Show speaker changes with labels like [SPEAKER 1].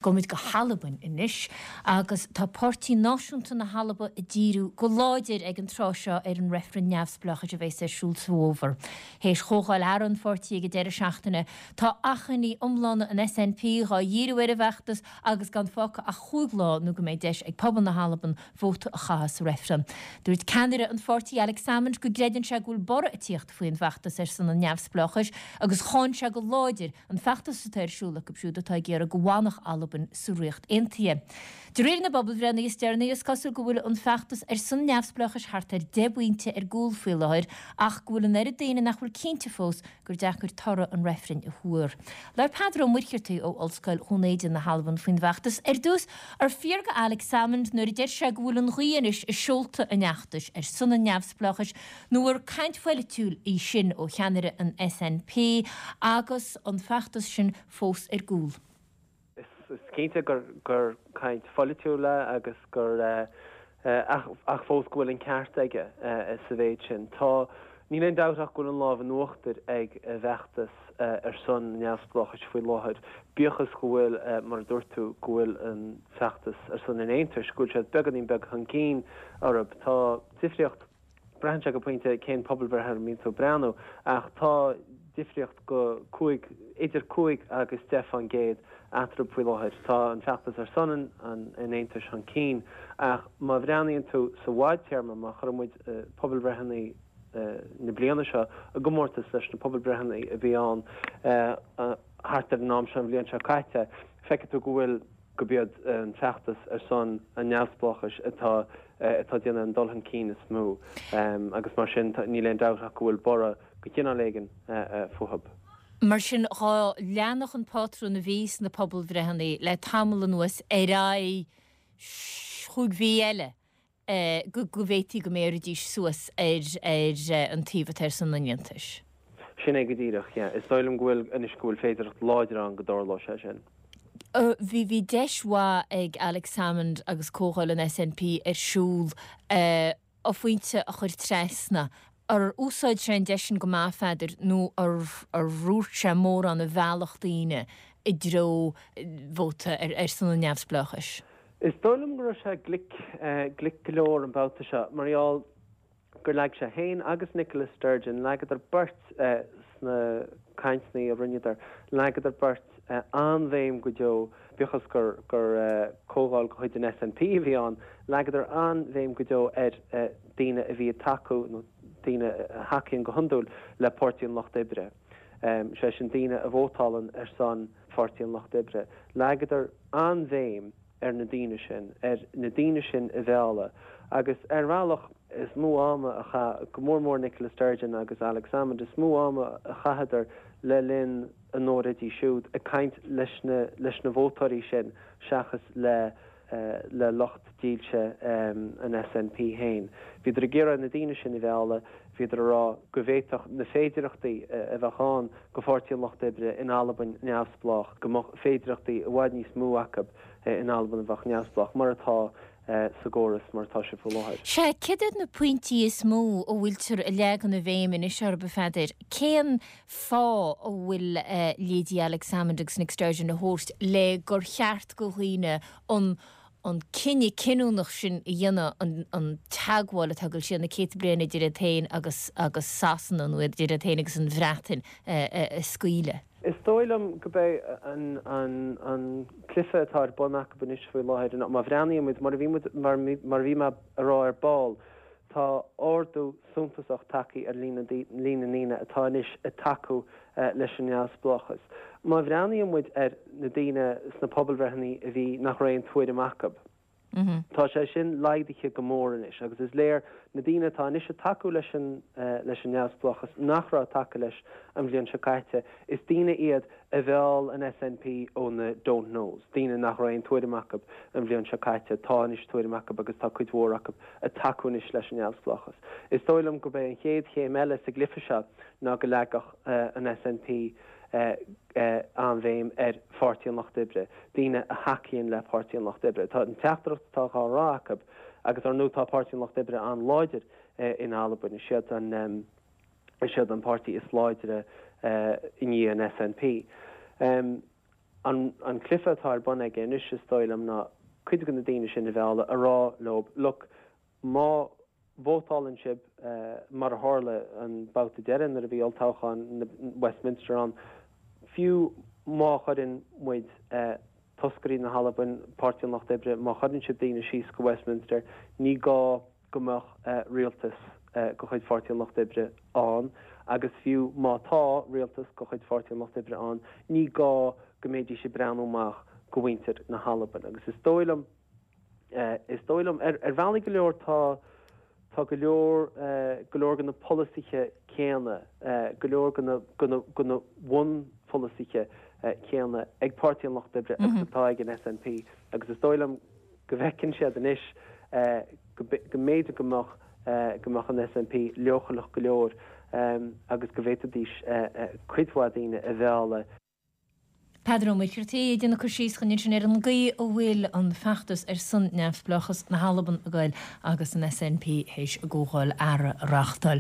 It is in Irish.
[SPEAKER 1] Gabhfaimid go hAlbain anois agus tá Páirtí Náisiúnta na hAlba ag díriú go láidir ag an tráth seo ar an reifreann neamhspleáchais a bheas ar siúl sa bhfómhar. Théis chomhdháil fhearadh an pháirtí ag an deireadh seachtaine, tá achainí iomlána an SNP dhá dhíriú ar an bhfeachtas agus gan fágtha ach chúig lá nó go mbeidh deis ag pobal na hAlban vóta a chaitheamh sa reifreann. Dúirt ceannaire an pháirtí Alex Salmond go gcreideann sé go bhfuil borradh ag tíocht faoin bhfeachtas ar son an neamhspleáchais agus cháin sé go láidir An feachtas atá ar siúl acu siúd atá ag iarraidh go bhfanfadh Albain sa Ríocht Aontaithe. De réir na bpobalbhreitheanna is deireanaí, is cosúil go bhfuil an feachtas ar son neamhspleáchais thart ar 10 bpointe ar gcúl faoi láthair ach go bhfuil an oiread daoine nach bhfuil cinnte fós gur deacair toradh an reifrinn a thuar. Labhair Peadar Ó Muircheartaigh ó Ollscoil Dhún Éideann na hAlban faoin bhfeachtas. Ar dtús, ar fíor do Alex Salmond nuair a deir sé go bhfuil an ghaoth anois i seolta an fheachtais ar son an neamhspleáchais Nó ar caint pholaitiúil í sin ó cheannaire an SNP agus an feachtas sin fós ar gcúl?
[SPEAKER 2] Is cinnte gur caint pholaitiúil é agus gur, ach fós go bhfuil an ceart aige sa mhéid sin. Tá, níl aon dabht ach go bhfuil an lámh in uachtar ag an bhfeachtas ar son neamhspleáchais faoi láthair, bíodh is go bhfuil, mar a dúirt tú, go bhfuil an feachtas ar son an aontais, go bhfuil siad beagáinín beag chun cinn orthu. Tá difríocht. Braitheann sé go pointe cén pobalbhreith ar a mbíonn tú ag breathnú, ach tá difríocht go 5, idir 5 agus 10% eatarthu faoi láthair. Tá an feachtas ar son an aontais chun cinn, ach má bhreathnaíonn tú sa bhfadtéarma, má chuireann muid pobalbhreitheanna na bliana seo i gcomórtas leis na pobalbhreitheanna a bhí ann thart ar an am seo an bhliain seo caite, feicfidh tú go bhfuil. gurb iad an feachtas ar son an neamhspleáchais atá atá ag déanamh an dul chun cinn is mó agus mar sin níl aon dabht ach go bhfuil borradh de chineál éigin fúthu.
[SPEAKER 1] Mar sin dhá leanfadh an pátrún a bhí sna pobalbhreitheanna le tamall anuas ar aghaidh chúig mhí eile, go bhféadfaí go mbéarfaidís suas ar an taobh atá ar son an Aontais.
[SPEAKER 2] Sin é go díreach, yeah. Is dóigh liom go bhfuil, anois, go bhfuil féidearthacht láidir ann go dtarlóidh sé sin.
[SPEAKER 1] Bhí, bhí deis mhaith ag Alex Salmond agus comhdháil an SNP ar siúl a phointe a chur trasna. Ar úsáid sé an deis sin go maith, a Pheadair, nó ar dhúirt sé mórán a mheallfadh daoine i dtreo vóta ar son an neamhspleáchais?
[SPEAKER 2] Is dóigh liom go raibh sé glic, glic go leor an babhta seo, mar gheall gur leag sé féin agus Nicola Sturgeon, leagadar beirt sna cainteanna a rinneadar, leagadar beirt an-bhéim go deo, bíodh is gur, gur comhdháil de chuid an SNP a bhí ann, leagadar an-bhéim go deo ar daoine a bhí ag tacú, nó daoine a thacaíonn go hiondúil le Páirtí an Lucht Oibre, sé sin daoine a vótálann ar son Pháirtí an Lucht Oibre. Leagadar an-bhéim ar na daoine sin, ar na daoine sin a mhealladh agus ar bhealach, is mó ama a chaith, go mór mór Nicola Sturgeon agus Alex Salmond, is mó ama a chaitheadar le linn a n-óráidí siúd ag caint leis na, leis na vótóirí sin seachas le, le lucht dílse an SNP féin. Bhíodar ag iarraidh na daoine sin a mhealladh, bhíodar ag rá go bhféadfadh na féidearthachtaí a bheadh ann go Pháirtí an Lucht Oibre in Albain neamhspleách, go mbeadh féidearthachtaí i bhfad níos mó acu in Albain a bheadh neamhspleách, mar atá sa gcóras mar atá sé faoi láthair.
[SPEAKER 1] Sea, céard iad na pointí is mó a bhfuiltear ag leagan na bhéim anois orthu, a Pheadair? Cén fáth a bhfuil leithéidí Alex Salmond agus Nick Sturgeon a thabhairt le gur cheart go dhaoine an an cinneadh cinniúnach sin a dhéanamh, an an teagmháil atá ag dul siar na céadta bliain idir iad féin agus agus Sasana nó idir iad féin agus an Bhreatain a scaoileadh.
[SPEAKER 2] Is dóigh liom go b'é an an an cluiche atá ar bun acu anois faoi láthair ná má bhreathnaíonn muid, mar a bhí muid mar mar a bhí mé a rá ar ball, Tá ardú suntasach tagtha ar líon na ndaoine atá anois ag tacú leis an neamhspleáchas. Má bhreathnaíonn muid ar na daoine sna pobalbhreitheanna a bhí nach raibh aon tuairim acu, tá sé sin laghdaithe go mór anois agus is léir na daoine atá anois ag tacú leis an leis an neamhspleáchas nach raibh ag tacú leis an bhliain seo caite, is daoine iad a mheall an SNP ó na don't knows, daoine nach raibh aon tuairim acu an bhliain seo caite, tá anois tuairim acu agus tá cuid mhór acu ag tacú anois leis an neamhspleáchas. Is dóigh liom gurb é an chéad chéim eile sa gcluiche seo ná go leagfadh an SNP an-bhéim ar Pháirtí an Lucht Oibre, daoine a thacaíonn le Páirtí an Lucht Oibre. Tá an teachtaireacht atá á rá acu, agus ar ndóigh tá Páirtí an Lucht Oibre an-láidir in Albain, is iad an. Is iad an páirtí is láidre i ndiaidh an SNP. An an cluiche atá ar bun aige anois, is dóigh liom, ná cuid de na daoine sin a mhealladh, a rá leo, look, má vótálann sibh, mar a tharla an babhta deiridh nuair a bhí olltoghchán Westminster ann, fiú má chuireann muid toscairí na hAlban, Páirtí an Lucht Oibre, má chuireann sibh daoine síos go Westminster, ní gá go mbeadh rialtas de chuid Pháirtí an Lucht Oibre ann agus fiú má tá rialtas de chuid Pháirtí an Lucht Oibre ann, ní gá go mbeidís ag breathnú amach go mhuintir na hAlban. Agus is dóigh liom, is dóigh liom, ar bhealaí go leor tá, tá go leor, go leor de na polasaithe céanna, go leor de na, de na, de na bunpholasaithe céanna ag Páirtí an Lucht Oibre agus atá ag an SNP agus is dóigh liom go bhfeiceann siad anois go mb'fhéidir go mbeadh go mbeadh an SNP leochaileach go leor agus go bhféadfaidís cuid mhaith daoine a mhealladh.
[SPEAKER 1] Peadar Ó Muircheartaigh ag déanamh cur síos dhúinn ansin ar an gcaoi a bhfuil an feachtas ar son neamhspleáchas na hAlban ag goil agus an SNP théis a gcomhdháil fhearaidh a reáchtáil.